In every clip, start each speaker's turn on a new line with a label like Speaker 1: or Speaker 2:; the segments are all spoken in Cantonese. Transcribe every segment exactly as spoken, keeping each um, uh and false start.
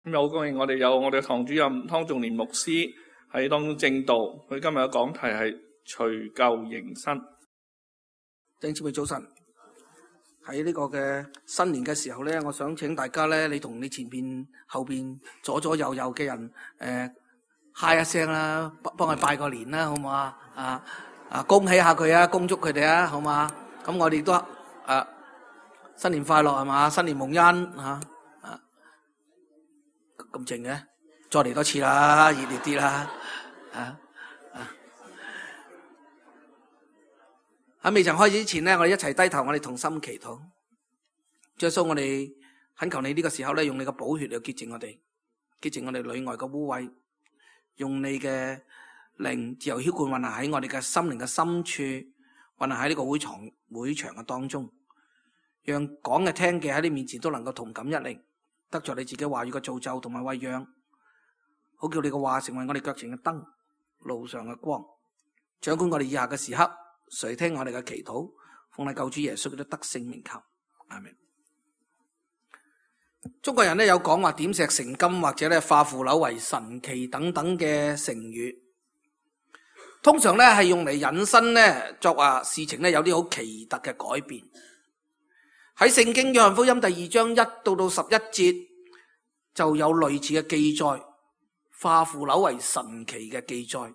Speaker 1: 咁好高興我哋有我哋嘅堂主任湯仲年牧師喺當中證道，佢今日嘅講題係除舊迎新。
Speaker 2: 弟兄姊妹早晨，喺呢個嘅新年嘅時候咧，我想請大家咧，你同你前邊、後邊、左左右右嘅人，誒、呃，嗨一聲啦，幫幫佢拜個年啦，好唔好啊？啊啊，恭喜下佢啊，恭祝佢哋啊，好嘛？咁我哋都誒、啊，新年快樂係嘛？新年蒙恩吓。咁靜嘅，再嚟多次啦，熱烈啲啦，啊啊！喺未曾開始之前咧，我哋一齊低頭，我哋同心祈禱。主耶穌，我哋懇求你呢個時候咧，用你嘅寶血嚟潔淨我哋，潔淨我哋裏外嘅污穢，用你嘅靈自由澆灌運行喺我哋嘅心靈嘅深處，運行喺呢個會場會場嘅當中，讓講嘅聽嘅喺你面前都能夠同感一靈。得着你自己話語嘅造就同埋餵養，好叫你嘅話成為我哋腳前嘅燈，路上嘅光，掌管我哋以下嘅時刻，垂聽我哋嘅祈禱，奉你救主耶穌基督得勝名求，阿們。中國人咧有講話點石成金或者咧化腐朽為神奇等等嘅成語，通常咧係用嚟引申咧作話事情咧有啲好奇特嘅改變。喺聖經約翰福音第二章一到到十一節就有類似嘅記載，化腐朽為神奇嘅記載。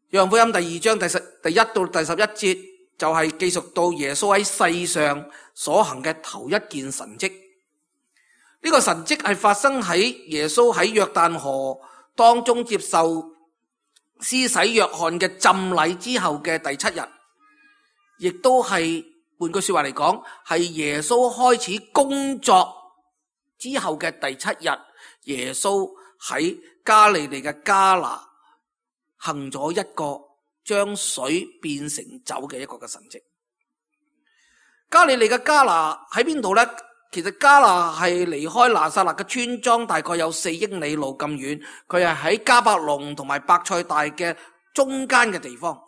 Speaker 2: 約翰福音第二章第十第一到第十一節就係記述到耶穌喺世上所行嘅頭一件神蹟。呢個神蹟係發生喺耶穌喺約旦河當中接受施洗約翰嘅浸禮之後嘅第七日，亦都係換句說話嚟講，係耶穌開始工作之後嘅第七日，耶穌喺加利利嘅迦拿行咗一個將水變成酒嘅一個嘅神蹟。加利利嘅迦拿喺邊度呢？其實迦拿係離開拿撒勒嘅村莊大概有四英里路咁遠，佢係喺迦百農同埋伯賽大嘅中間嘅地方。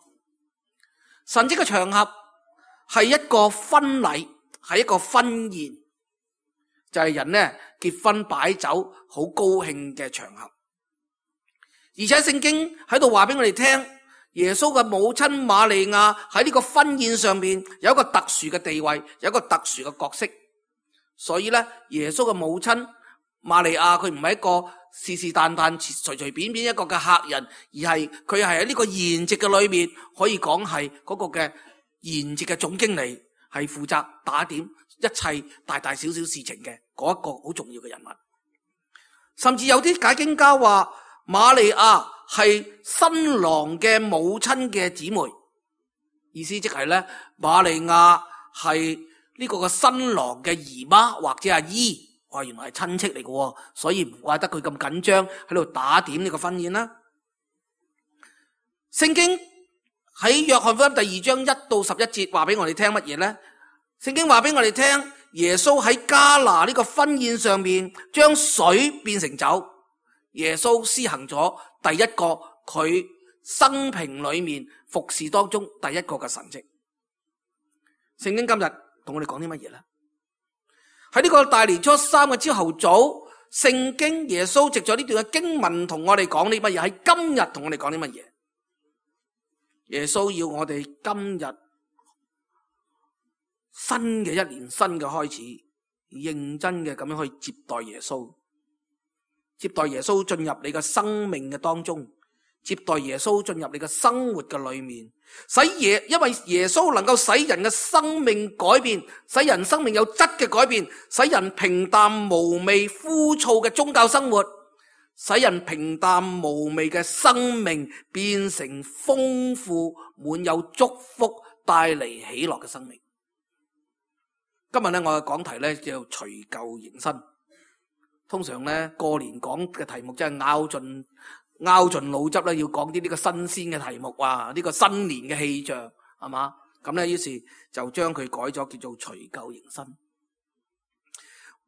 Speaker 2: 神蹟嘅場合係一個婚禮，係一個婚宴，就係、是、人呢結婚擺酒好高興嘅場合。而且聖經喺度話俾我哋聽，耶穌嘅母親瑪利亞喺呢個婚宴上面有一個特殊嘅地位，有一個特殊嘅角色。所以咧，耶穌嘅母親瑪利亞佢唔係一個是是但但隨隨便便一個嘅客人，而係佢係喺呢個筵席嘅裏面，可以講係嗰個嘅筵席嘅總經理，係負責打點一切大大小小事情嘅嗰一個好重要嘅人物。甚至有啲解經家話瑪利亞係新郎嘅母親嘅姊妹，意思即係咧，瑪利亞係呢個嘅新郎嘅姨媽或者阿姨，哇，原來係親戚嚟嘅，所以唔怪得佢咁緊張喺度打點呢個婚宴啦。聖經喺約翰福音第二章一到十一節話俾我哋聽乜嘢呢？聖經話俾我哋聽，耶穌喺迦拿呢個婚宴上面將水變成酒，耶穌施行咗第一個佢生平裏面服侍當中第一個嘅神蹟。聖經今日同我哋講啲乜嘢呢？喺呢個大年初三嘅朝頭早，聖經耶穌藉咗呢段嘅經文同我哋講啲乜嘢？喺今日同我哋講啲乜嘢？耶穌要我哋今日新嘅一年新嘅開始，認真嘅咁樣去接待耶穌，接待耶穌進入你嘅生命嘅當中，接待耶穌進入你嘅生活嘅裏面，使耶因為耶穌能夠使人嘅生命改變，使人生命有質嘅改變，使人平淡無味枯燥嘅宗教生活，使人平淡無味嘅生命變成豐富滿有祝福帶嚟喜樂嘅生命。今日咧我嘅講題咧叫除舊迎新。通常咧過年講嘅題目真係拗盡拗盡腦汁咧，要講啲呢個新鮮嘅題目啊，呢個新年嘅氣象係嘛？咁咧於是就將佢改咗叫做除舊迎新。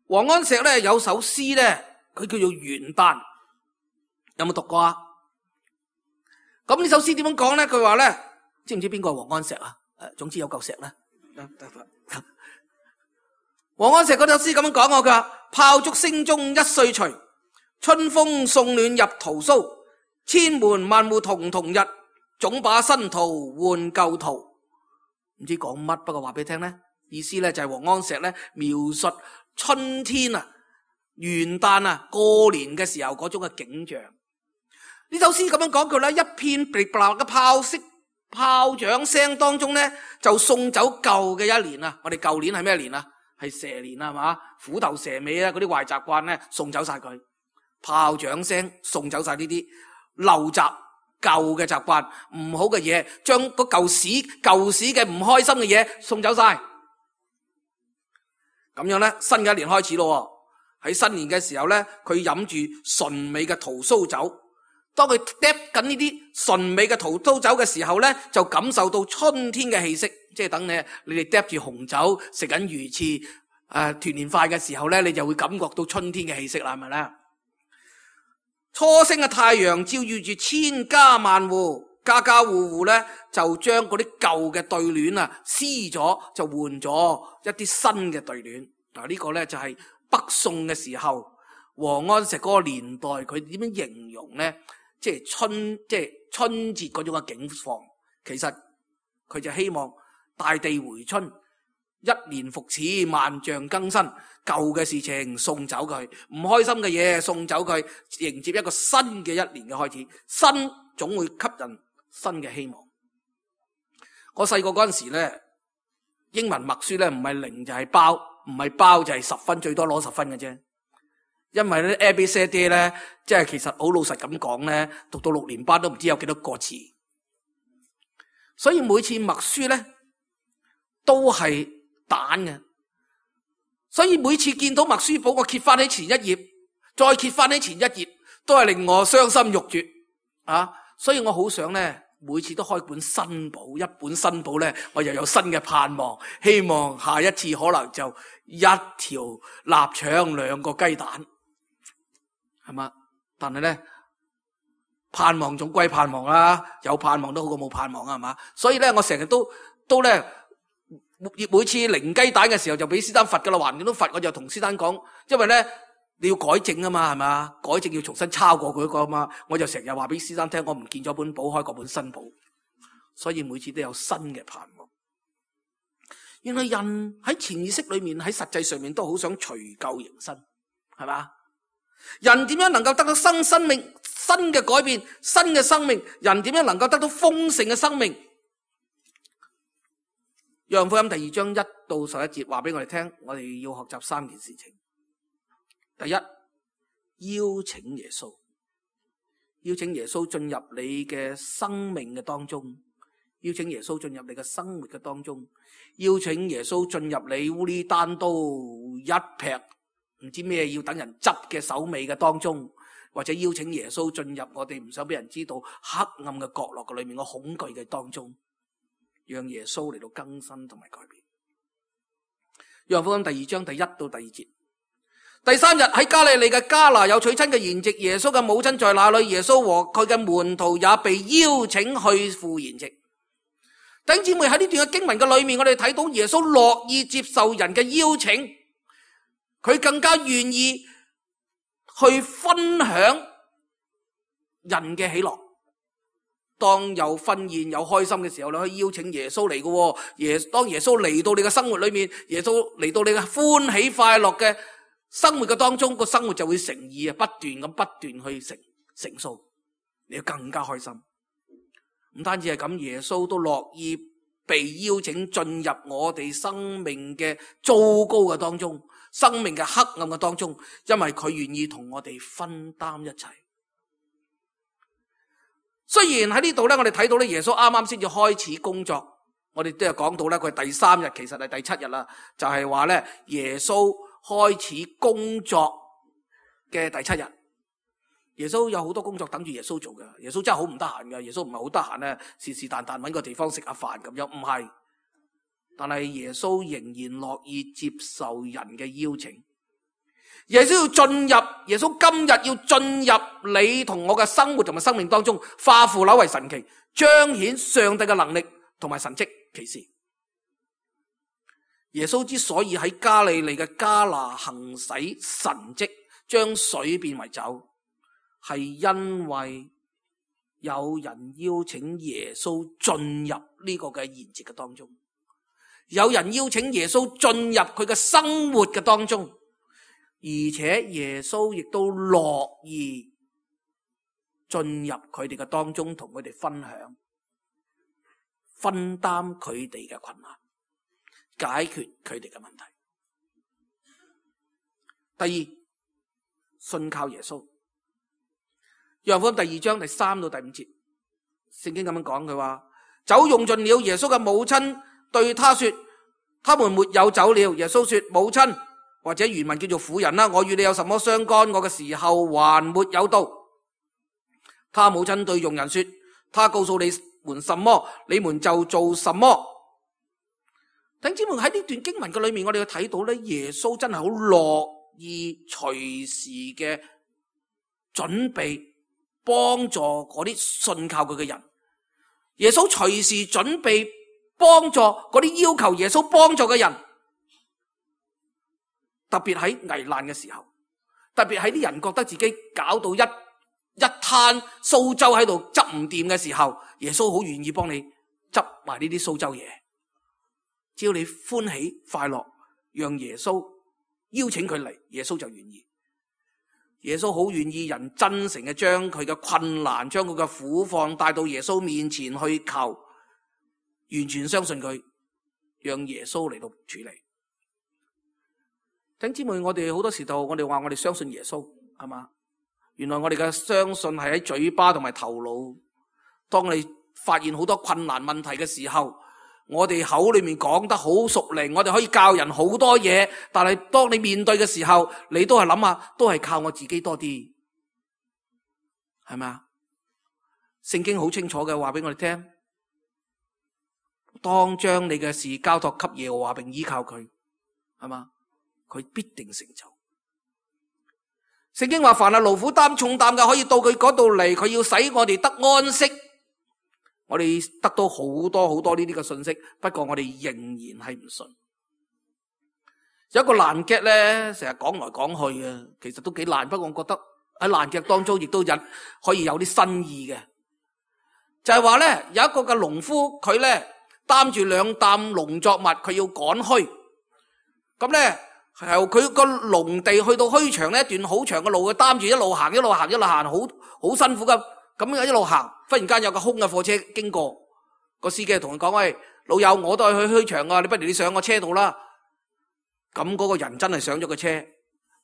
Speaker 2: 王安石咧有首詩咧，佢叫做元旦，有冇讀過啊？咁呢首詩點樣講咧？佢話咧，知唔知邊個係王安石啊？誒，總之有嚿石啦。王安石嗰首詩咁樣講我，佢話炮竹聲中一歲除，春風送暖入屠蘇，千門萬戶曈曈日，總把新圖換舊圖。唔知講乜，不過話俾你聽呢，意思呢就係王安石呢描述春天啊、元旦啊、過年嘅時候嗰種嘅景象。呢首詩咁樣講句啦，一片噼啪嘅炮聲、炮仗聲當中呢，就送走舊嘅一年啊！我哋舊年係咩年啊？係蛇年啊，係嘛？虎頭蛇尾啊，嗰啲壞習慣呢，送走晒佢。炮仗聲送走晒呢啲陋習、舊嘅習慣、唔好嘅嘢，將個舊屎、舊屎嘅唔開心嘅嘢送走晒。咁樣呢，新嘅一年開始咯。喺新年嘅時候呢，佢飲住純美嘅屠蘇酒。當佢嗒緊呢啲純美嘅屠蘇酒嘅時候呢，就感受到春天嘅氣息。即係等你你哋嗒住紅酒食緊魚翅誒團年飯嘅時候呢，你就會感覺到春天嘅氣息啦，係咪咧？初升嘅太陽照耀住千家萬戶，家家戶戶呢就將嗰啲舊嘅對聯啊撕咗，就換咗一啲新嘅對聯。嗱，呢個呢就係北宋嘅時候王安石嗰個年代，佢點樣形容呢？即係春，即係春節嗰種嘅景況。其實佢就希望大地回春，一年復始，萬象更新。舊嘅事情送走佢，唔開心嘅嘢送走佢，迎接一個新嘅一年嘅開始。新總會吸引新嘅希望。我細個嗰陣時咧，英文默書咧唔係零就係包，唔係包就係十分，最多攞十分嘅啫。因為咧 A B C D 咧，即係其實好老實咁講咧，讀到六年班都唔知有幾多個字，所以每次默書咧都係蛋嘅，所以每次見到默書簿，我揭翻起前一頁，再揭翻起前一頁，都係令我傷心欲絕啊！所以我好想咧，每次都開本新簿，一本新簿咧，我又有新嘅盼望，希望下一次可能就一條臘腸兩個雞蛋。係嘛？但係咧，盼望總歸盼望啦，有盼望都好過冇盼望啊，係嘛？所以咧，我成日都都咧，每次零雞蛋嘅時候就俾師丹罰噶啦，橫掂都罰，我就同師丹講，因為咧你要改正啊嘛，係嘛？改正要重新抄過佢嗰個啊嘛，我就成日話俾師丹聽，我唔見咗本簿，開過本新簿，所以每次都有新嘅盼望。原來人喺潛意識裏面，喺實際上面都好想除舊迎新，係嘛？人點樣能夠得到新生命、新嘅改變、新嘅生命？人點樣能夠得到豐盛嘅生命？約翰福音第二章一到十一節話俾我哋聽，我哋要學習三件事情。第一，邀請耶穌，邀請耶穌進入你嘅生命嘅當中，邀請耶穌進入你嘅生活嘅當中，邀請耶穌進入你烏哩單刀一劈唔知咩要等人執嘅手尾嘅當中，或者邀請耶穌進入我哋唔想俾人知道黑暗嘅角落嘅裏面，我恐懼嘅當中，讓耶穌嚟到更新同埋改變。約翰福音第二章第一到第二節。第三日喺加利利嘅迦拿有娶親嘅筵席，耶穌嘅母親在那裏，耶穌和佢嘅門徒也被邀請去赴筵席。弟兄姊妹，喺呢段嘅經文嘅裏面，我哋睇到耶穌樂意接受人嘅邀請。佢更加願意去分享人嘅喜樂。當有婚宴有開心嘅時候，你可以邀請耶穌嚟嘅。耶當耶穌嚟到你嘅生活裏面，耶穌嚟到你嘅歡喜快樂嘅生活嘅當中，個生活就會成義啊，不斷咁不斷去成成數，你要更加開心。唔單止係咁，耶穌都樂意被邀請進入我哋生命嘅糟糕嘅當中，生命嘅黑暗嘅當中，因為佢願意同我哋分擔一切。雖然喺呢度咧，我哋睇到咧，耶穌啱啱先至開始工作，我哋都有講到咧，佢係第三日，其實係第七日啦，就係話咧，耶穌開始工作嘅第七日。耶穌有好多工作等住耶穌做嘅，耶穌真係好唔得閒嘅，耶穌唔係好得閒咧，是是但但搵個地方食下飯咁樣，唔係。但係耶穌仍然樂意接受人嘅邀請。耶穌要進入，耶穌今日要進入你同我嘅生活同埋生命當中，化腐朽為神奇，彰顯上帝嘅能力同埋神蹟奇事。耶穌之所以喺加利利嘅迦拿行使神蹟，將水變為酒，係因為有人邀請耶穌進入呢個嘅筵席嘅當中，有人邀請耶穌進入佢嘅生活嘅當中，而且耶穌亦都樂意進入佢哋嘅當中，同佢哋分享，分擔佢哋嘅困難，解決佢哋嘅問題。第二，信靠耶穌。約翰福音第二章第三到第五節，聖經咁樣講，佢話酒用盡了，耶穌嘅母親對他說，他們沒有酒了。耶穌說，母親，或者原文叫做婦人啦，我與你有什麼相干？我嘅時候還沒有到。他母親對傭人說，他告訴你們什麼，你們就做什麼。弟兄姊妹，喺呢段經文嘅裏面，我哋要睇到咧，耶穌真係好樂意隨時嘅準備幫助嗰啲信靠佢嘅人。耶穌隨時準備幫助嗰啲要求耶穌幫助嘅人，特別喺危難嘅時候，特別喺啲人覺得自己搞到一一攤蘇州喺度執唔掂嘅時候，耶穌好願意幫你執埋呢啲蘇州嘢。只要你歡喜快樂，讓耶穌邀請佢嚟，耶穌就願意。耶穌好願意人真誠嘅將佢嘅困難，將佢嘅苦況帶到耶穌面前去求，完全相信佢，讓耶穌嚟到處理。弟兄姊妹，我哋好多時候我哋話我哋相信耶穌，係嘛？原來我哋嘅相信係喺嘴巴同埋頭腦。當你發現好多困難問題嘅時候，我哋口裏面講得好熟練，我哋可以教人好多嘢，但係當你面對嘅時候，你都係諗下，都係靠我自己多啲，係咪啊？聖經好清楚嘅話俾我哋聽，當將你嘅事交託給耶和華並依靠佢，係嘛？佢必定成就。聖經話，凡係勞苦擔重擔嘅，可以到佢嗰度嚟，佢要使我哋得安息。我哋得到好多好多呢啲嘅信息，不過我哋仍然係唔信。有一個爛劇咧，成日講來講去嘅，其實都幾爛。不過我覺得喺爛劇當中，亦都引可以有啲新意嘅，就係話咧，有一個嘅農夫，佢咧擔住兩擔農作物，佢要趕墟。咁咧由佢個農地去到墟場呢一段好長嘅路，佢擔住一路行一路行一路行，好好辛苦噶。咁一路行，忽然間有個空嘅貨車經過，個司機同佢講：喂，老友，我都係去墟場啊，你不如你上我車度啦。咁嗰個人真係上咗個車，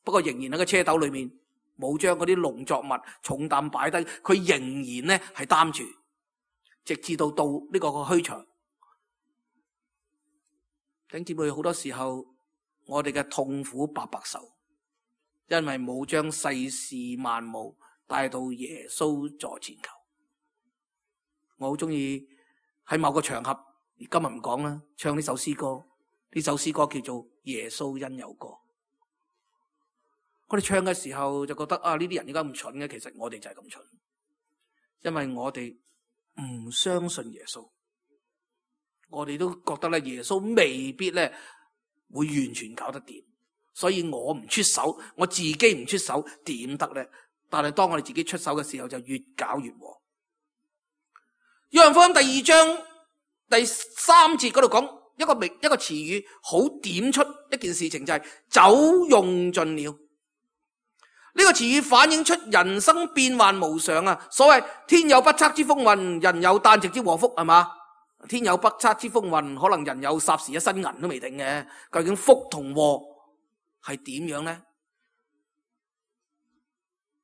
Speaker 2: 不過仍然喺個車斗裏面冇將嗰啲農作物重擔擺低，佢仍然呢係擔住，直至到到呢個個墟場。弟兄姊妹，好多時候我哋嘅痛苦白白受，因為冇將世事萬物帶到耶穌座前求。我好中意喺某個場合，今日唔講啦，唱呢首詩歌。呢首詩歌叫做《耶穌因有歌》。我哋唱嘅時候就覺得啊，呢啲人點解咁蠢嘅？其實我哋就係咁蠢，因為我哋唔相信耶穌。我哋都覺得咧，耶穌未必咧會完全搞得掂，所以我唔出手，我自己唔出手點得咧？但係當我哋自己出手嘅時候，就越搞越禍。約翰福音第二章第三節嗰度講一個名一個詞語，好點出一件事情，就係酒用盡了。呢個詞語反映出人生變幻無常啊！所謂天有不測之風雲，人有旦夕之禍福，係嘛？天有不測之風雲，可能人有霎時一身銀都未定嘅。究竟福同禍係點樣呢？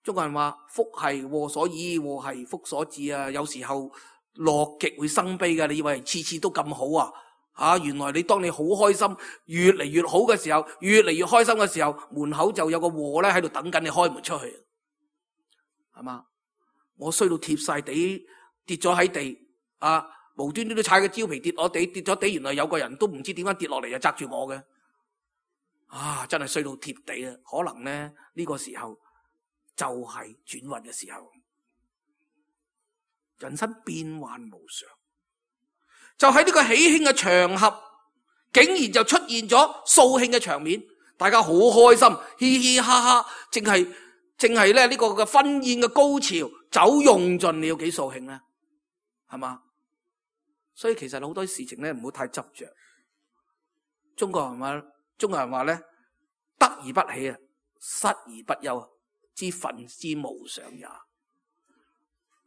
Speaker 2: 中國人話福係禍所依，禍係福所致啊！有時候樂極會生悲嘅，你以為次次都咁好啊？啊，原來你當你好開心，越嚟越好嘅時候，越嚟越開心嘅時候，門口就有個禍咧喺度等緊你開門出去，係嘛？我衰到貼晒地，跌咗喺地，啊，無端端都踩個蕉皮跌落地，跌咗地，原來有個人都唔知點解跌落嚟就砸住我嘅，啊，真係衰到貼地啊！可能咧呢個時候就係轉運嘅時候，人生變幻無常。就喺呢個喜慶嘅場合，竟然就出現咗掃興嘅場面，大家好開心，嘻嘻哈哈，淨係淨係咧呢個嘅婚宴嘅高潮，酒用盡了，幾掃興咧，係嘛？所以其實好多事情咧唔好太執着。中國人話，中國人話咧，得而不起啊，失而不憂，知憤之無常也。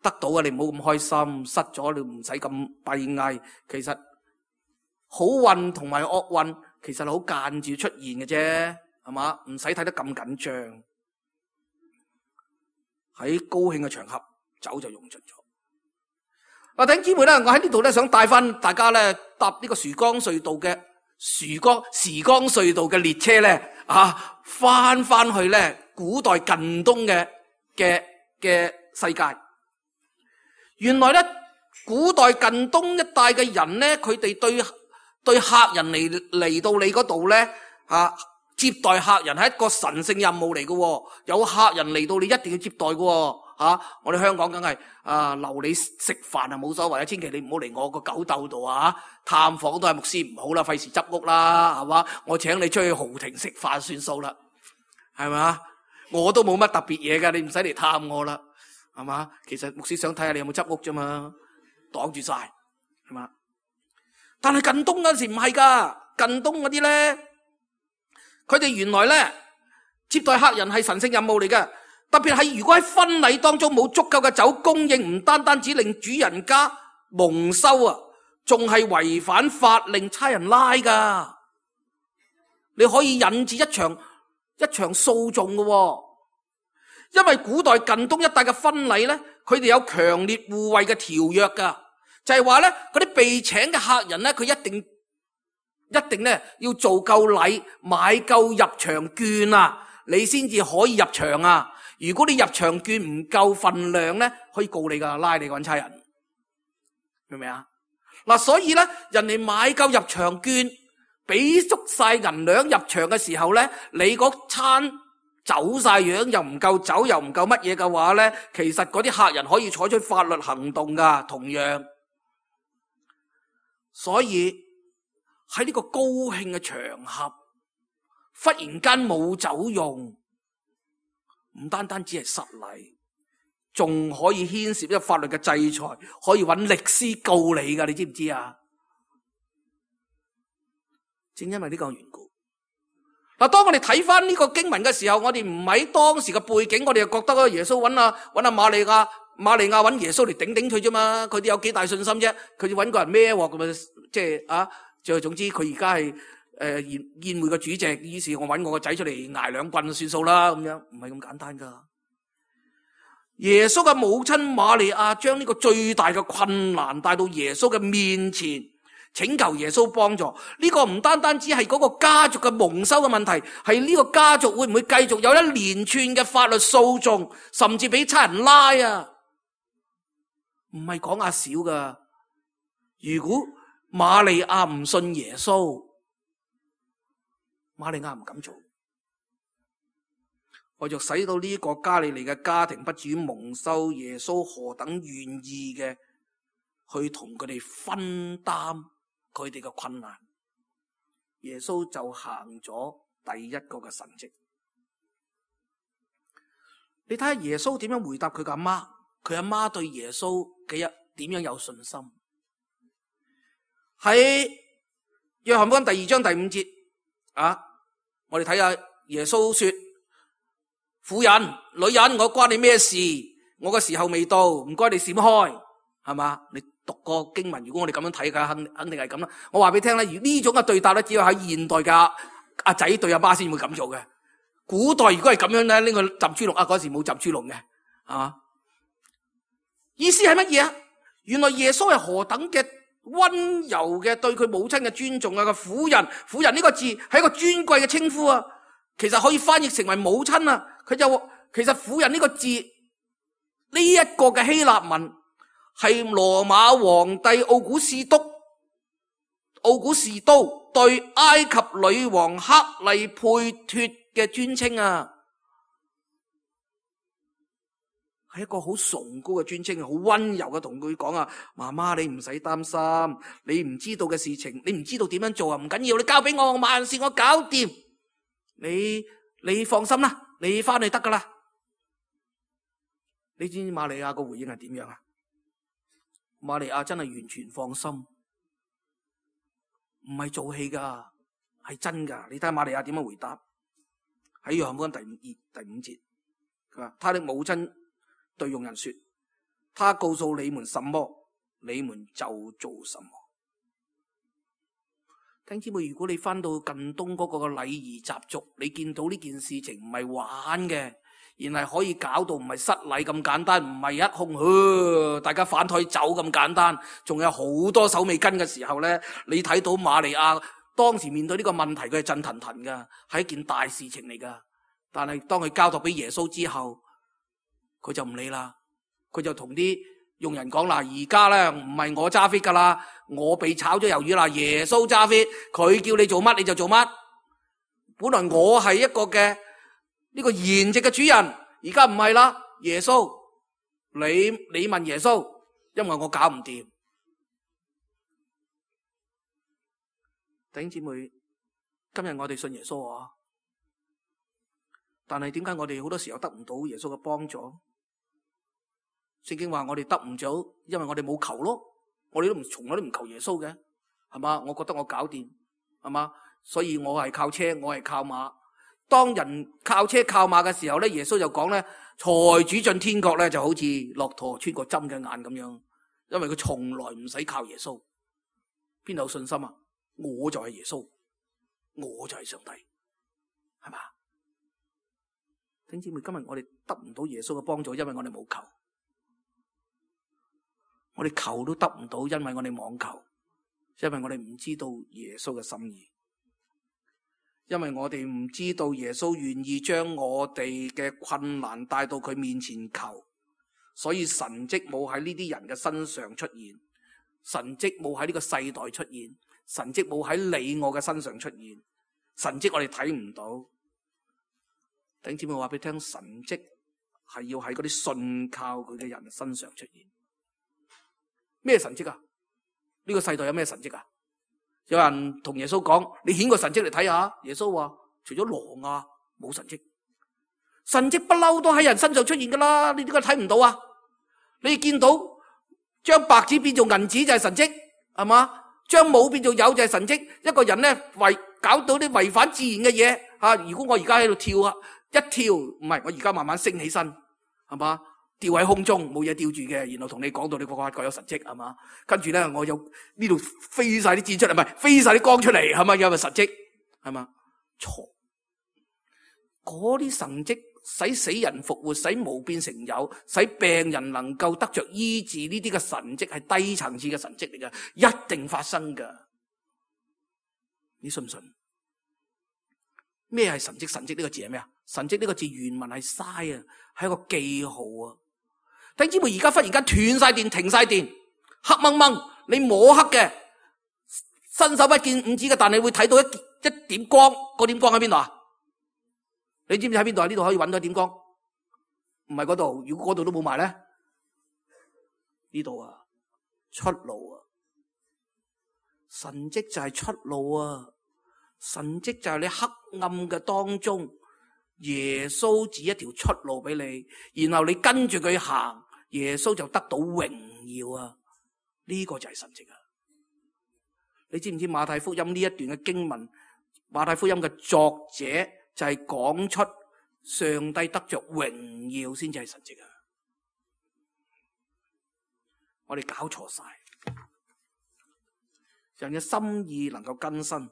Speaker 2: 得到啊，你唔好咁開心；失咗，你唔使咁閉翳。其實好運同埋惡運，其實係好間接出現嘅啫，係嘛？唔使睇得咁緊張。喺高興嘅場合，酒就用盡咗。嗱，弟兄姊妹咧，我喺呢度咧想帶翻大家咧搭呢個時光隧道嘅時光時光隧道嘅列車咧，啊，翻翻去咧古代近東嘅嘅嘅世界。原來咧，古代近東一帶嘅人咧，佢哋對對客人嚟嚟到你嗰度咧，啊，接待客人係一個神聖任務嚟嘅。有客人嚟到，你一定要接待嘅。啊，我哋香港梗係啊留你食飯啊冇所謂啊，千祈你唔好嚟我個狗竇度啊！探訪都係牧師唔好啦，費事執屋啦，係嘛？我請你出去豪庭食飯算數啦，係嘛？我都冇乜特別嘢㗎，你唔使嚟探我啦。係嘛？其實牧師想睇下你有冇執屋啫嘛，擋住晒，係嘛？但係近東嗰陣時唔係噶，近東嗰啲咧，佢哋原來咧接待客人係神聖任務嚟嘅，特別係如果喺婚禮當中冇足夠嘅酒供應，唔單單只令主人家蒙羞啊，仲係違反法令，差人拉噶。你可以引致一場一場訴訟嘅。因為古代近東一帶嘅婚禮咧，佢哋有強烈互惠嘅條約噶，就係話咧嗰啲被請嘅客人咧，佢一定一定咧要做夠禮，買夠入場券啊，你先至可以入場啊。如果你入場券唔夠份量咧，可以告你噶，拉你搵差人，明唔明啊？嗱，所以咧，人哋買夠入場券，俾足晒銀兩入場嘅時候咧，你嗰餐走晒樣又唔夠酒又唔夠乜嘢嘅話咧，其實嗰啲客人可以採取法律行動噶，同樣。所以喺呢個高興嘅場合，忽然間冇酒用，唔單單只係失禮，仲可以牽涉一個法律嘅制裁，可以揾律師告你噶，你知唔知啊？正因為呢個緣故。嗱，當我哋睇翻呢個經文嘅時候，我哋唔喺當時嘅背景，我哋就覺得啊，耶穌揾啊揾阿瑪利亞，瑪利亞揾耶穌嚟頂頂佢啫嘛，佢哋有幾大信心啫？佢哋揾個人孭鑊咁啊，即係啊，就總之佢而家係誒宴宴會嘅主席，於是我揾我個仔出嚟挨兩棍算數啦，咁樣唔係咁簡單噶。耶穌嘅母親瑪利亞將呢個最大嘅困難帶到耶穌嘅面前，請求耶穌幫助。呢個唔單單只係嗰個家族嘅蒙羞嘅問題，係呢個家族會唔會繼續有一連串嘅法律訴訟，甚至俾差人拉啊？唔係講下少噶。如果瑪利亞唔信耶穌，瑪利亞唔敢做，為咗使到呢個加利利嘅家庭不至於蒙羞，耶穌何等願意嘅去同佢哋分擔佢哋嘅困難，耶穌就行咗第一個嘅神蹟。你睇下耶穌點樣回答佢嘅阿媽，佢阿媽對耶穌幾日點樣有信心？喺約翰福音第二章第五節啊，我哋睇下耶穌說：婦人、女人，我關你咩事？我嘅時候未到，唔該你閃開，係嘛？你讀過經文，如果我哋咁樣睇嘅，肯肯定係咁啦。我話俾你聽咧，呢種嘅對答咧，只有喺現代嘅阿仔對阿媽先會咁做嘅。古代如果係咁樣咧，呢個浸豬籠啊，嗰時冇浸豬籠嘅，係嘛？意思係乜嘢啊？原來耶穌係何等嘅溫柔嘅對佢母親嘅尊重啊！個婦人，婦人呢個字係一個尊貴嘅稱呼啊，其實可以翻譯成為母親啊。佢就其實婦人呢個字呢一個嘅希臘文係羅馬皇帝奧古士督奧古士都對埃及女王克利佩托嘅尊稱啊。係一個好崇高嘅尊稱，好溫柔嘅同佢講啊，媽媽你唔使擔心，你唔知道嘅事情，你唔知道點樣做啊，唔緊要，你交俾我，萬事我搞掂，你你放心啦，你翻去得噶啦。你知唔知瑪利亞個回應係點樣啊？瑪利亞真係完全放心，唔係做戲噶，係真噶。你睇下瑪利亞點樣回答？喺約翰福音第五第五節，佢話：他的母親對傭人說：他告訴你們什麼，你們就做什麼。弟兄姊妹，如果你翻到近東嗰個嘅禮儀習俗，你見到呢件事情唔係玩嘅，而係可以搞到唔係失禮咁簡單，唔係一空、呃、大家反台走咁簡單，仲有好多手尾跟嘅時候咧，你睇到瑪利亞當時面對呢個問題，佢係震騰騰噶，係一件大事情嚟噶。但係當佢交託俾耶穌之後，佢就唔理啦，佢就同啲傭人講啦：而家咧唔係我揸 fit 噶啦，我被炒咗魷魚啦，耶穌揸 fit，佢叫你做乜你就做乜。本來我係一個嘅呢個筵席嘅主人，而家唔係啦，耶穌，你你問耶穌，因為我搞唔掂。弟兄姊妹，今日我哋信耶穌啊，但係點解我哋好多時候得唔到耶穌嘅幫助？聖經話我哋得唔到，因為我哋冇求咯。我哋都唔從來都唔求耶穌嘅，係嘛？我覺得我搞掂，係嘛？所以我係靠車，我係靠馬。當人靠車靠馬嘅時候咧，耶穌就講咧，財主進天國咧就好似駱駝穿過針嘅眼咁樣，因為佢從來唔使靠耶穌。邊度有信心啊？我就係耶穌，我就係上帝，係嘛？弟兄姊妹，今日我哋得唔到耶穌嘅幫助，因為我哋冇求。我哋求都得唔到，因為我哋妄求，因為我哋唔知道耶穌嘅心意，因為我哋唔知道耶穌願意將我哋嘅困難帶到佢面前求，所以神蹟冇喺呢啲人嘅身上出現，神蹟冇喺呢個世代出現，神蹟冇喺你我嘅身上出現，神蹟我哋睇唔到。弟兄姊妹，我話俾你聽，神蹟係要喺嗰啲信靠佢嘅人身上出現。咩神蹟啊？呢個世代有咩神蹟啊？有人同耶穌講：你顯個神蹟嚟睇下。耶穌話：除咗羅亞冇神蹟。神蹟不嬲都喺人身上出現噶啦，你點解睇唔到啊？你見到將白紙變做銀紙就係神蹟，係嘛？將冇變做有就係神蹟。一個人咧違搞到啲違反自然嘅嘢吓，如果我而家喺度跳啊，一跳唔係，我而家慢慢升起身，係嘛？吊喺空中冇嘢吊住嘅，然後同你講到你個個各有神蹟，係嘛？跟住咧我有呢度飛晒啲箭出嚟，唔係飛晒啲光出嚟，係咪有個神蹟？係嘛？錯，嗰啲神蹟使死人復活，使無變成有，使病人能夠得着醫治，呢啲嘅神蹟係低層次嘅神蹟嚟嘅，一定發生噶。你信唔信？咩係神蹟？神蹟呢個字係咩啊？神蹟呢個字原文係嘥啊，係一個記號啊。弟兄姊妹，而家忽然間斷晒電，停晒電，黑掹掹，你摸黑嘅，伸手不見五指嘅，但你會睇到一一點光，嗰點光喺邊度啊？你知唔知喺邊度啊？呢度可以揾到一點光，唔係嗰度。如果嗰度都冇埋咧，呢度啊，出路啊，神蹟就係出路啊，神蹟就係你黑暗嘅當中，耶穌指一條出路俾你，然後你跟住佢行，耶穌就得到榮耀啊！呢個就係神蹟啊！你知唔知馬太福音呢一段嘅經文，馬太福音嘅作者就係講出上帝得着榮耀先至係神蹟啊！我哋搞錯晒，人嘅心意能夠更新，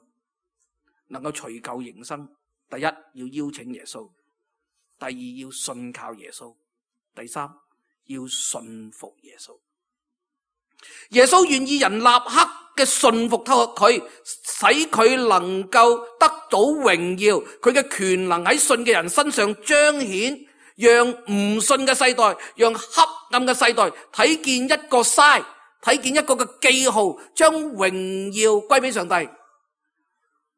Speaker 2: 能夠除舊迎新。第一，要邀請耶穌；第二，要信靠耶穌；第三，要信服耶穌。耶穌願意人立刻嘅信服佢，使佢能夠得到榮耀，佢嘅權能喺信嘅人身上彰顯，讓唔信嘅世代，讓黑暗嘅世代睇見一個篩，睇見一個嘅記號，將榮耀歸俾上帝。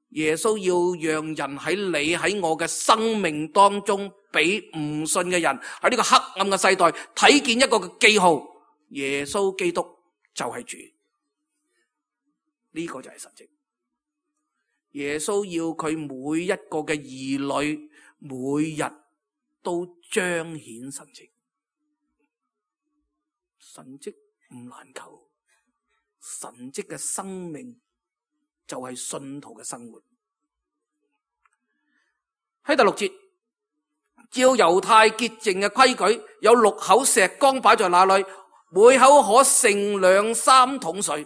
Speaker 2: 耶穌要讓人喺你喺我嘅生命當中不俾唔信嘅人喺呢個黑暗嘅世代睇見一個嘅記號，耶穌基督就係主。呢個就係神蹟。耶穌要佢每一個嘅兒女每日都彰顯神蹟。神蹟唔難求，神蹟嘅生命就係信徒嘅生活。喺第六節，照猶太潔淨嘅規矩，有六口石缸擺在那裏，每口可盛兩三桶水。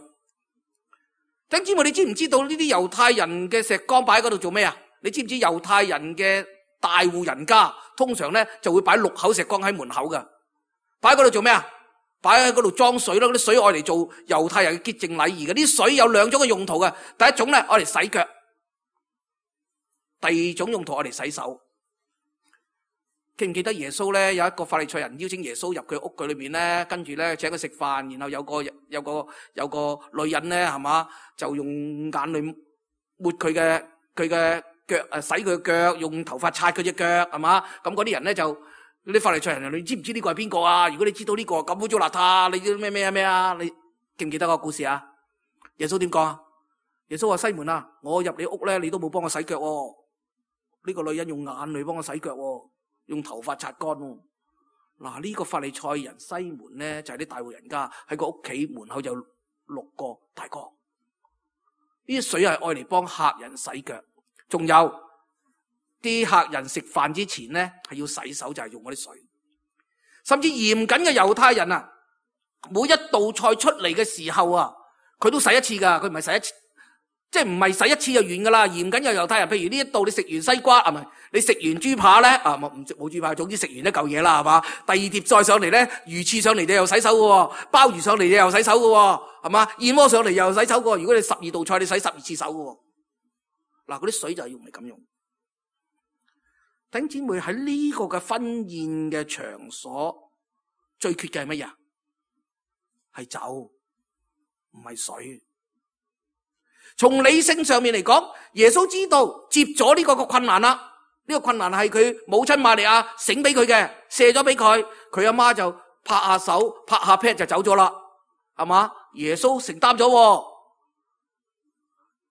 Speaker 2: 弟兄姊妹，你知唔知道呢啲猶太人嘅石缸擺喺嗰度做咩啊？你知唔知猶太人嘅大戶人家通常咧就會擺六口石缸喺門口噶，擺喺嗰度做咩啊？擺喺嗰度裝水咯，嗰啲水愛嚟做猶太人嘅潔淨禮儀嘅。啲水有兩種嘅用途嘅，第一種咧愛嚟洗腳，第二種用途愛嚟洗手。記唔記得耶穌咧有一個法利賽人邀請耶穌入佢屋企裏面咧，跟住咧請佢食飯，然後有個有個有個女人咧係嘛，就用眼淚抹佢嘅佢嘅腳，誒洗佢嘅腳，用頭髮擦佢隻腳係嘛。咁嗰啲人咧就啲法利賽人，你知唔知呢個係邊個啊？如果你知道呢個咁污糟邋遢，你知咩咩啊咩啊？你記唔記得個故事啊？耶穌點講啊？耶穌話：西門啊，我入你屋咧，你都冇幫我洗腳喎。呢個女人用眼淚幫我洗腳喎，用頭髮擦乾喎。嗱，呢個法利賽人西門咧就係啲大戶人家，喺個屋企門口有六個大缸。呢啲水係愛嚟幫客人洗腳，仲有啲客人食飯之前咧係要洗手，就係用嗰啲水。甚至嚴謹嘅猶太人啊，每一道菜出嚟嘅時候啊，佢都洗一次噶，佢唔係洗一次。即係唔係洗一次就完噶啦，嚴謹有猶太人，譬如呢一度你食完西瓜，啊唔係你食完豬扒咧，啊冇唔冇豬扒，總之食完一嚿嘢啦，係嘛？第二碟再上嚟咧，魚翅上嚟你又洗手噶，鮑魚上嚟你又洗手噶，係嘛？燕窩上嚟又洗手噶。如果你十二道菜你洗十二次手噶，嗱嗰啲水就係用嚟咁用。弟兄姊妹，喺呢個嘅婚宴嘅場所，最缺嘅係乜嘢？係酒，唔係水。從理性上面嚟講，耶穌知道接咗呢個個困難啦，呢個困難係佢母親瑪利亞醒俾佢嘅，卸咗俾佢，佢阿媽就拍下手拍下 pat 就走咗啦，係嘛？耶穌承擔咗，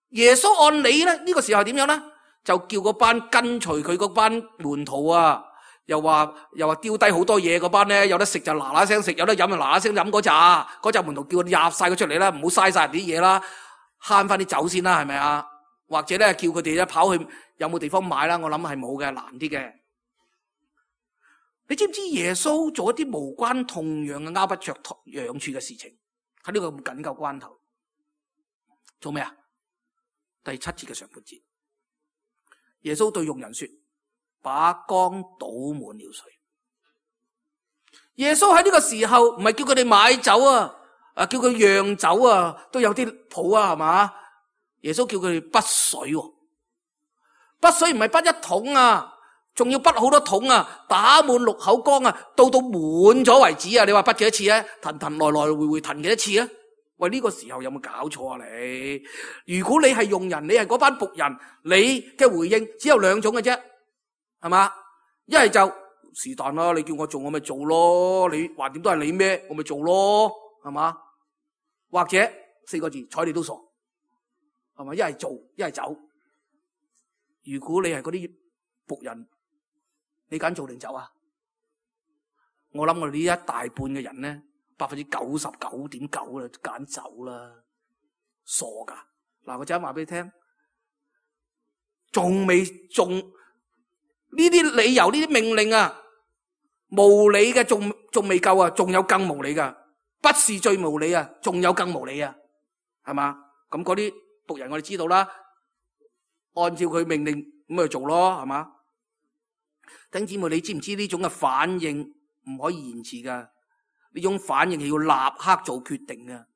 Speaker 2: 耶穌按理咧呢個時候點樣咧？就叫嗰班跟隨佢嗰班門徒啊，又話又話丟低好多嘢，嗰班咧有得食就嗱嗱聲食，有得飲就嗱嗱聲飲嗰扎，嗰扎門徒叫佢入晒佢出嚟啦，唔好嘥晒人啲嘢啦。慳翻啲酒先啦，係咪啊？或者咧叫佢哋咧跑去有冇地方買啦？我諗係冇嘅，難啲嘅。你知唔知耶穌做一啲無關痛癢嘅拗不着癢處嘅事情？喺呢個咁緊急關頭做咩啊？第七節嘅上半節，耶穌對用人說：把缸倒滿了水。耶穌喺呢個時候唔係叫佢哋買酒啊。啊！叫佢釀酒啊，都有啲譜啊，係嘛？耶穌叫佢哋滗水，滗水唔係滗一桶啊，仲要滗好多桶啊，打滿六口缸啊，到到滿咗為止啊！你話滗幾多次啊？騰騰來來回回騰幾多次啊？喂，呢個時候有冇搞錯啊你？如果你係用人，你係嗰班僕人，你嘅回應只有兩種嘅啫，係嘛？一係就是但啦，你叫我做我咪做咯，你橫掂都係你咩，我咪做咯，係嘛？或者四個字，睬你都傻，係咪？一係做，一係走。如果你係嗰啲僕人，你揀做定走啊？我諗我哋呢一大半嘅人咧，百分之九十九點九啦，揀走啦，傻噶！嗱，我陣間話俾你聽，仲未仲呢啲理由，呢啲命令啊，無理嘅，仲仲未夠啊，仲有更無理噶。不是最無理啊，仲有更無理啊，係嘛？咁嗰啲僕人我哋知道啦，按照佢命令咁咪做咯，係嘛？弟兄姊妹，你知唔知呢種嘅反應唔可以延遲噶？呢種反應係要立刻做決定噶，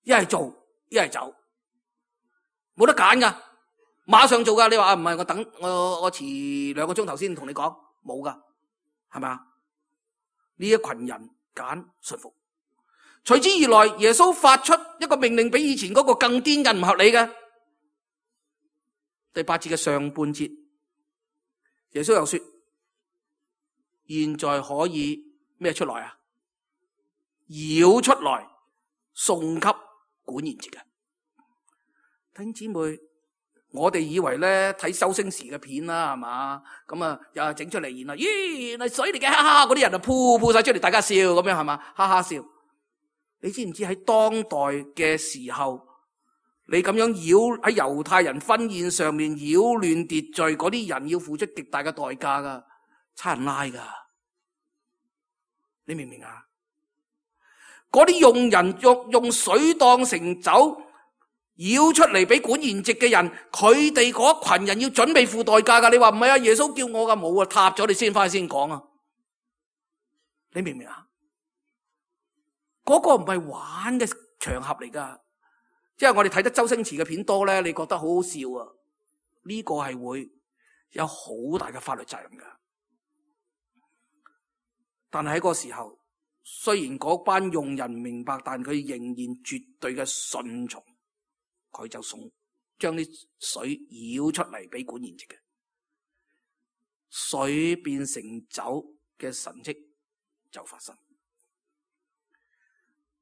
Speaker 2: 一係做，一係走，冇得揀噶，馬上做噶。你話啊，唔係我等我我遲兩個鐘頭先同你講，冇噶，係嘛？呢一群人揀順服。隨之而來，耶穌發出一個命令，比以前嗰個更癲嘅唔合理嘅。第八節嘅上半節，耶穌又說：現在可以咩出來啊？舀出來送給管筵席嘅。弟兄姊妹，我哋以為咧睇周星馳嘅片啦，係嘛？咁啊又整出嚟，然後咦原來水嚟嘅，哈哈！嗰啲人就噗噗晒出嚟，大家笑咁樣係嘛？哈哈笑。你知唔知喺當代嘅時候，你咁樣擾喺猶太人婚宴上面擾亂秩序，嗰啲人要付出極大嘅代價噶，差人拉噶。你明唔明啊？嗰啲用人用用水當成酒舀出嚟俾管筵席嘅人，佢哋嗰群人要準備付代價噶。你話唔係啊？耶穌叫我噶，冇啊，塌咗你先翻去先講啊。你明唔明啊？嗰個唔係玩嘅場合嚟噶，即係我哋睇得周星馳嘅片多咧，你覺得好好笑啊？呢個係會有好大嘅法律責任噶。但係喺嗰個時候，雖然嗰班用人唔明白，但佢仍然絕對嘅順從，佢就送將啲水舀出嚟俾管筵席嘅，水變成酒嘅神蹟就發生。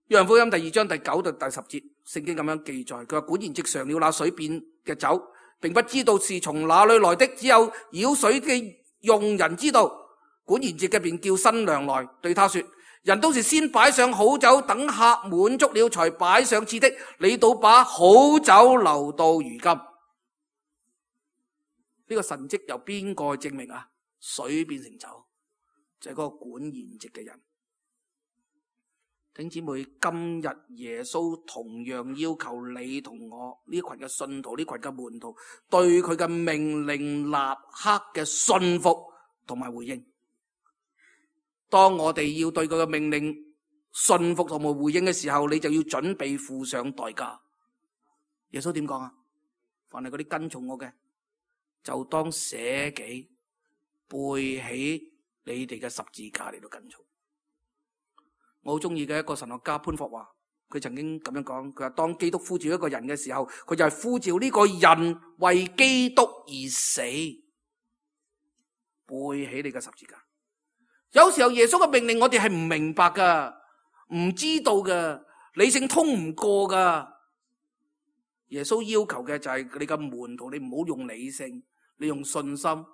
Speaker 2: 約翰福音第二章第九到第十節，聖經咁樣記載，佢話管筵席嘗了那水變嘅酒，並不知道是從哪裏來的，只有舀水嘅用人知道。管筵席嘅便叫新娘來，對他說：人都是先擺上好酒，等客滿足了才擺上次的，你倒把好酒留到如今。呢、這個神蹟由邊個去證明啊？水變成酒，就係、是、嗰個管筵席嘅人。弟兄姊妹，今日耶穌同樣要求你同我呢群嘅信徒，呢群嘅門徒，對佢嘅命令立刻嘅信服同埋回應。當我哋要對佢嘅命令信服同埋回應嘅時候，你就要準備付上代價。耶穌點講啊？凡係嗰啲跟從我嘅，就當捨己，背起你哋嘅十字架嚟到跟從。我好中意嘅一個神學家潘霍華，佢曾經咁樣講，佢話當基督呼召一個人嘅時候，佢就係呼召呢個人為基督而死，背起你嘅十字架。有時候耶穌嘅命令我哋係唔明白噶，唔知道噶，理性通唔過噶。耶穌要求嘅就係你嘅門徒，你唔好用理性，你用信心，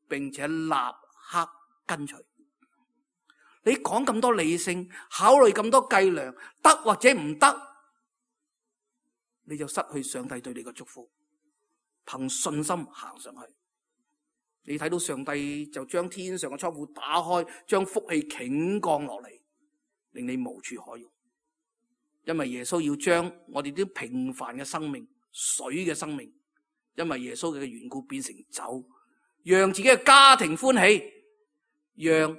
Speaker 2: 並且立刻跟隨。你講咁多理性，考慮咁多計量，得或者唔得，你就失去上帝對你嘅祝福。憑信心行上去。你睇到上帝就將天上嘅倉庫打開，將福氣傾降落嚟，令你無處可用。因為耶穌要將我哋啲平凡嘅生命、水嘅生命，因為耶穌嘅緣故變成酒，讓自己嘅家庭歡喜，讓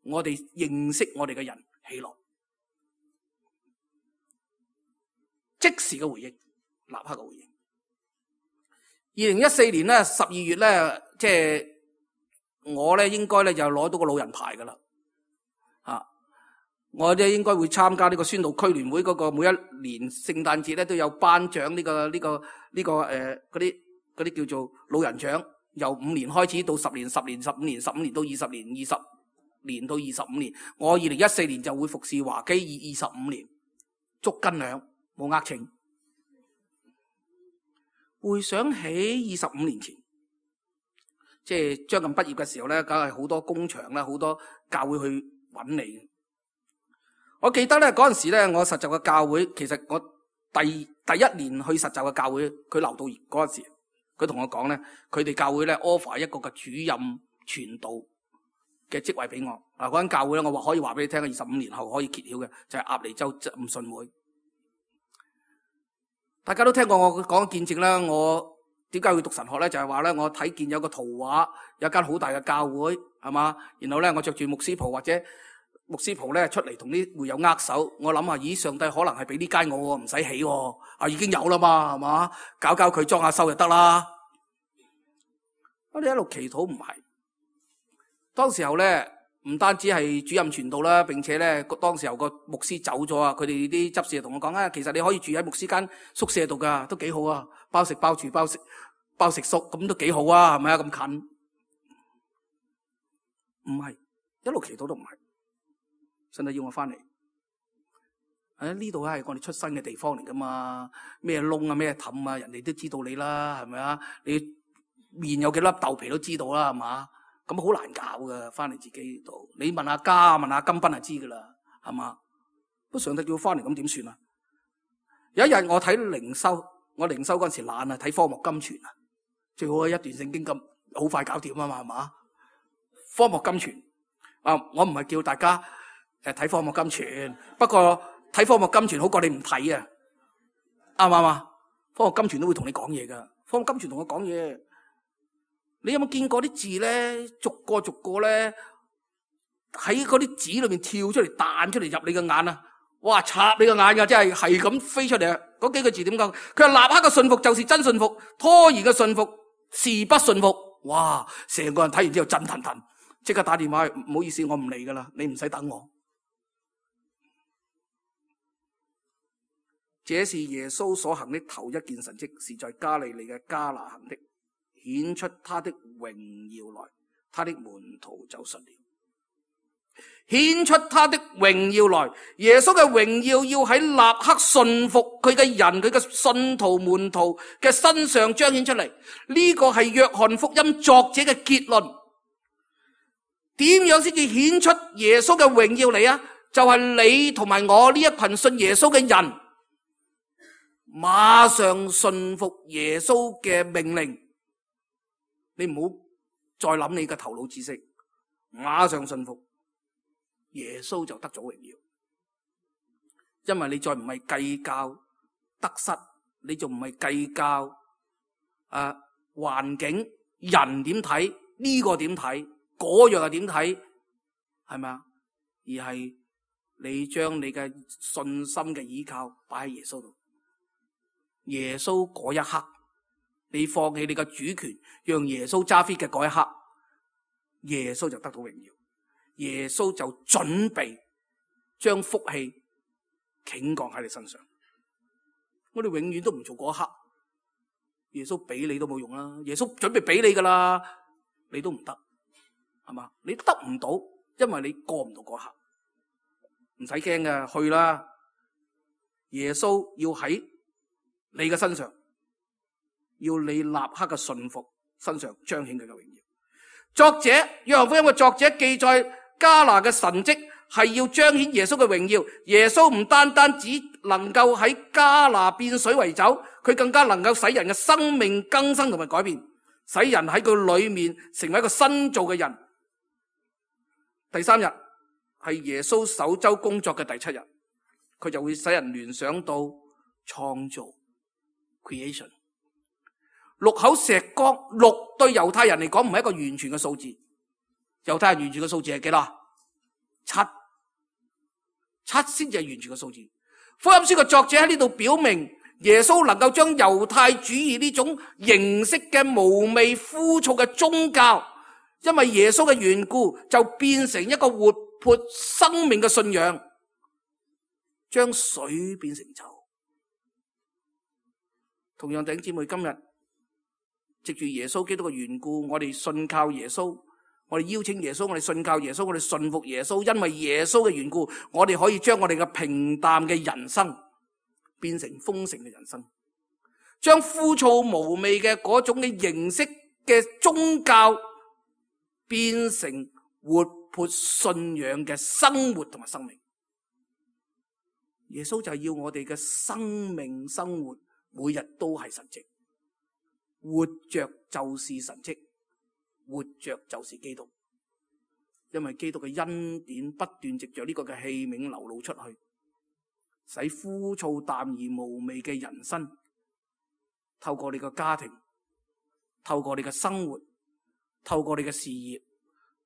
Speaker 2: 我哋認識我哋嘅人喜樂。即時嘅回應，立刻嘅回應。二零一四年咧十二月咧，即係我咧應該咧就攞到個老人牌噶啦，啊！我咧應該會參加呢個宣道區聯會嗰個每一年聖誕節咧都有頒獎呢個呢個呢個誒嗰啲嗰啲叫做老人獎，由五年開始到十年、十年、十五年、十五年到二十年、二十年到二十五年。我二零一四年就會服侍華基二二十五年，足斤兩冇呃秤。回想起二十五年前，即係將近畢業嘅時候咧，梗係好多工場啦，好多教會去揾你。我記得咧嗰陣時咧，我實習嘅教會，其實我第第一年去實習嘅教會，佢劉道業嗰陣時，佢同我講咧，佢哋教會咧 offer 一個嘅主任傳道嘅職位俾我。嗱，嗰間教會咧，我話可以話俾你聽，二十五年後可以揭曉嘅，就係鴨脷洲浸信會。大家都聽過我講見證啦，我點解會讀神學咧？就係話咧，我睇見有個圖畫，有間好大嘅教會，係嘛？然後咧，我着住牧師袍或者牧師袍咧出嚟同啲會友握手。我諗下，咦，上帝可能係俾呢間我，唔使起，啊已經有啦嘛，係嘛？搞搞佢裝下修就得啦。我哋一路祈禱唔係，當時候咧。唔單止係主任傳道啦，並且咧，當時候個牧師走咗啊，佢哋啲執事就同我講啊，其實你可以住喺牧師間宿舍度噶，都幾好啊，包食包住包食包食宿，咁都幾好啊，係咪啊？咁近？唔係，一路祈禱都唔係。神就要我翻嚟。喺呢度係我哋出生嘅地方嚟噶嘛？咩窿啊，咩氹啊，人哋都知道你啦，係咪啊？你面有幾粒豆皮都知道啦，係嘛？咁好難搞噶，翻嚟自己度。你問下家，問下金斌就知噶啦，係嘛？不過上帝叫我翻嚟，咁點算啊？有一日我睇靈修，我靈修嗰陣時懶啊，睇科目金傳啊，最好一段聖經咁好快搞掂啊嘛，係嘛？科目金傳啊，我唔係叫大家誒睇科目金傳，不過睇科目金傳好過你唔睇啊，啱唔啱啊？科目金傳都會同你講嘢噶，科目金傳同我講嘢。你有冇見過啲字咧，逐個逐個咧喺嗰啲紙裏面跳出嚟，彈出嚟入你嘅眼啊！哇，插你個眼噶，真係係咁飛出嚟啊！嗰幾個字點講？佢話立刻嘅信服就是真信服，拖延嘅信服是不信服。哇！成個人睇完之後震騰騰，即刻打電話，唔好意思，我唔嚟噶啦，你唔使等我。這是耶穌所行的頭一件神蹟，是在加利利嘅加拿行的，顯出他的榮耀來，他的門徒就信了。顯出他的榮耀來，耶穌嘅榮耀要喺立刻信服佢嘅人，佢嘅信徒門徒嘅身上彰顯出嚟。呢個係約翰福音作者嘅結論。點樣先至顯出耶穌嘅榮耀嚟啊？就係你同埋我呢一群信耶穌嘅人，馬上信服耶穌嘅命令。你唔好再諗你嘅頭腦知識，馬上信服。耶穌就得咗榮耀，因為你再唔係計較得失，你仲唔係計較啊環境人點睇，呢個點睇，嗰樣又點睇，係咪啊？而係你將你嘅信心嘅依靠擺喺耶穌度。耶穌嗰一刻，你放棄你嘅主權，讓耶穌揸 fit 嘅嗰一刻，耶穌就得到榮耀。耶穌就準備將福氣傾降喺你身上。我哋永遠都唔做嗰一刻，耶穌俾你都冇用啦。耶穌準備俾你噶啦，你都唔得，係嘛？你得唔到，因為你過唔到嗰刻。唔使驚嘅，去啦。耶穌要喺你嘅身上，要你立刻嘅信服身上彰顯佢嘅榮耀。作者約翰福音嘅作者記載加拿嘅神蹟係要彰顯耶穌嘅榮耀。耶穌唔單單只能夠喺加拿變水為酒，佢更加能夠使人嘅生命更新同埋改變，使人喺佢裏面成為一個新造嘅人。第三日係耶穌首周工作嘅第七日，佢就會使人聯想到創造 creation。六口石缸，六對猶太人嚟講唔係一個完全嘅數字。猶太人完全嘅數字係幾多？七，七先至係完全嘅數字。福音書嘅作者喺呢度表明，耶穌能夠將猶太主義呢種形式嘅無味枯燥嘅宗教，因為耶穌嘅緣故，就變成一個活潑生命嘅信仰，將水變成酒。同樣弟兄姊妹，今日藉住耶穌基督嘅緣故，我哋信靠耶穌，我哋邀請耶穌，我哋信靠耶穌，我哋信服耶穌。因為耶穌嘅緣故，我哋可以將我哋嘅平淡嘅人生變成豐盛嘅人生，將枯燥無味嘅嗰種嘅形式嘅宗教變成活潑信仰嘅生活同埋生命。耶穌就係要我哋嘅生命生活每日都係神蹟。活着就是神蹟，活着就是基督。因為基督嘅恩典不斷藉着呢個嘅器皿流露出去，使枯燥淡而無味嘅人生，透過你嘅家庭，透過你嘅生活，透過你嘅事業，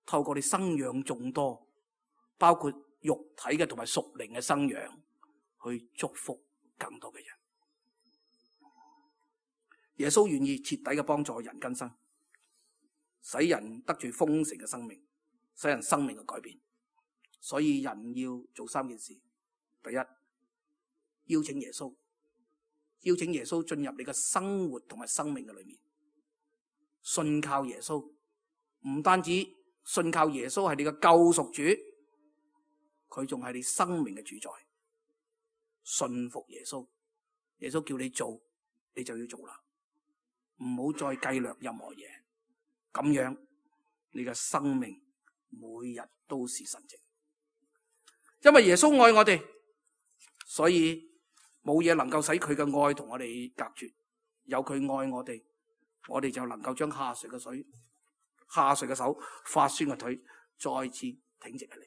Speaker 2: 透過你生養眾多，包括肉體嘅同埋屬靈嘅生養，去祝福更多嘅人。耶穌願意徹底嘅幫助人更新，使人得住豐盛嘅生命，使人生命嘅改變。所以人要做三件事：第一，邀請耶穌，邀請耶穌進入你嘅生活同埋生命嘅裏面，信靠耶穌。唔單止信靠耶穌係你嘅救贖主，佢仲係你生命嘅主宰。信服耶穌，耶穌叫你做，你就要做啦，唔好再計略任何嘢，咁樣你嘅生命每日都是神蹟。因為耶穌愛我哋，所以冇嘢能夠使佢嘅愛同我哋隔絕。有佢愛我哋，我哋就能夠將下垂嘅水、下垂嘅手、發酸嘅腿再次挺直起嚟。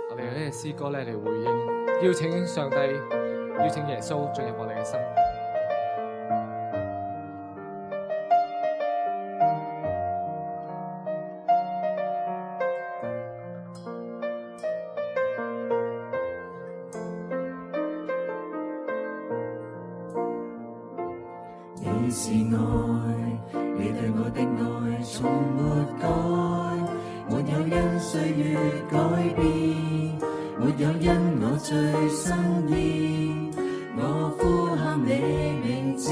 Speaker 3: 我哋呢隻詩歌咧嚟回應，邀請上帝，邀請耶穌進入我哋嘅生命。
Speaker 4: 你是愛，你對我的愛從沒改，沒有因歲月改變，沒有因我最心意，我呼喊你名字，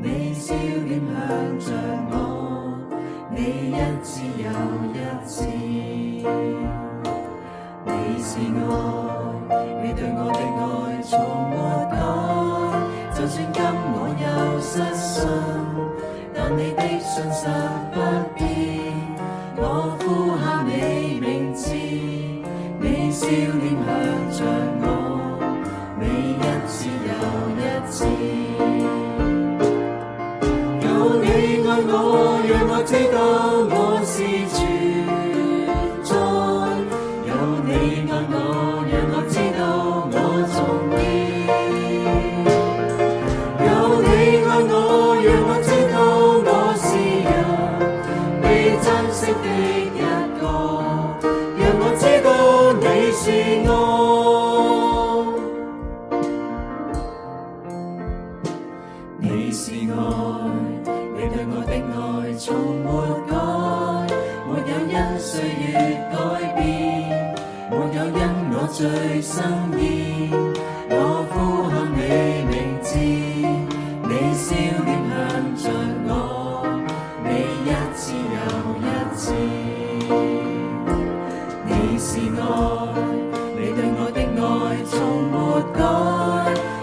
Speaker 4: 你笑臉向着我，你一次又一次。你是愛，你對我的愛從沒改，就算今我有失信，但你的信實不變，我呼喊你名字，你笑臉向着我，你一次又一次。有你愛我，讓我知道我是存在，有你愛我，讓我知道我重要，有你愛我，讓我知道我是人被珍惜的一個，讓我知道你是我，你是愛，你對我的愛從沒改，沒有因歲月改變，沒有因我最心意，我呼喊你名字，你笑臉向着我，你一次又一次。你是愛，你對我的愛從沒改，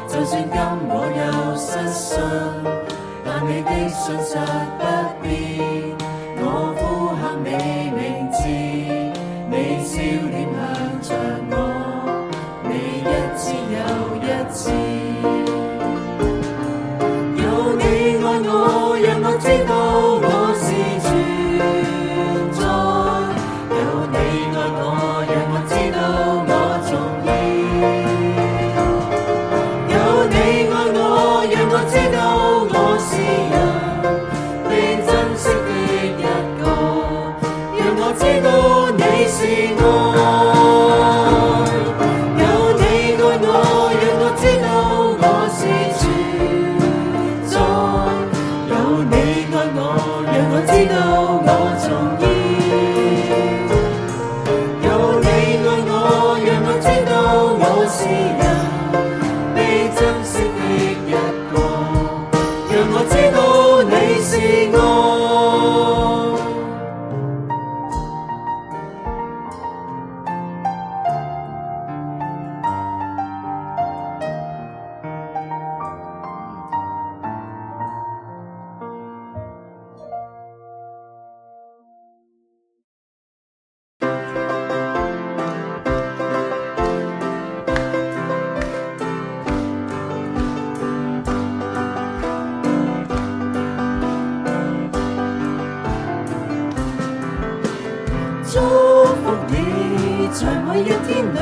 Speaker 4: 就算今我有失信，但你的信實不變，我呼喊你名字，你笑臉向着我，你一次又一次。有你愛我，讓我知道我是存在，有你愛我，讓我知道我重要，有你愛我，讓我知道我是人被珍惜的一個，讓我知道你是愛，有你愛我，讓我知道我是存在，有你愛我，讓我知道我重要，有你愛我，讓我知道我是人被珍惜的一個，讓我知道你是愛。祝福你，在每一天裏，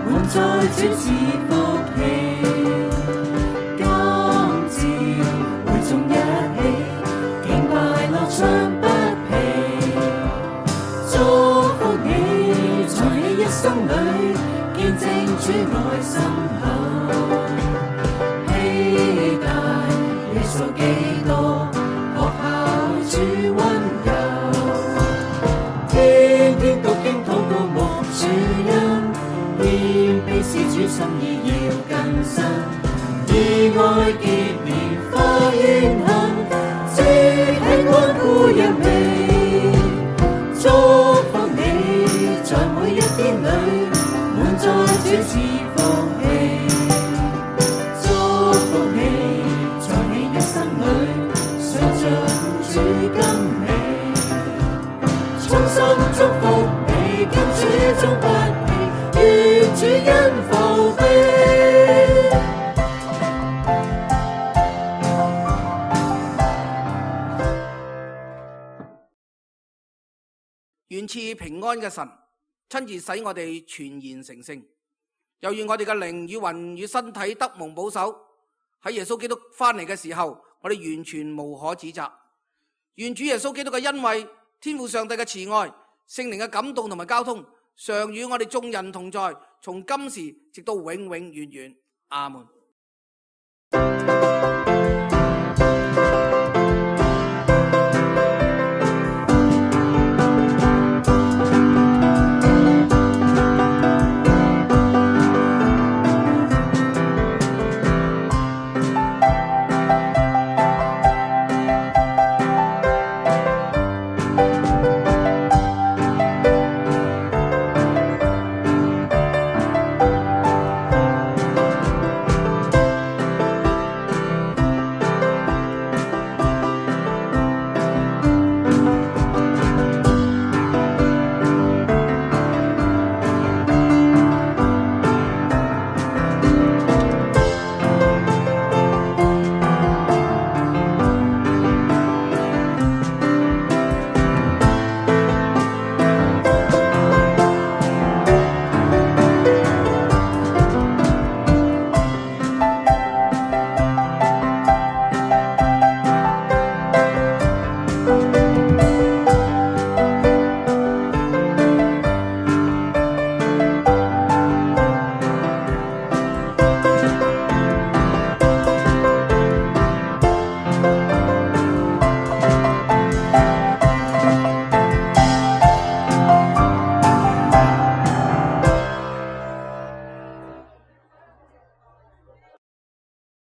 Speaker 4: 滿載主賜福氣。今朝會眾一起，敬拜樂唱不疲。祝福你，在你一生裏，見證主愛深厚。期待你數幾多，學效主溫柔。天天讀經禱告無主因，謙卑是主心意要更新，以愛結連花怨恨，即係關顧人味。
Speaker 2: 願賜平安嘅神親自使我哋全然成聖，又願我哋嘅靈與魂與身體得蒙保守，喺耶穌基督翻嚟嘅時候，我哋完全無可指責。願主耶穌基督嘅恩惠、天父上帝嘅慈愛、聖靈嘅感動同埋交通，常與我哋眾人同在，從今時直到永永遠遠。阿門。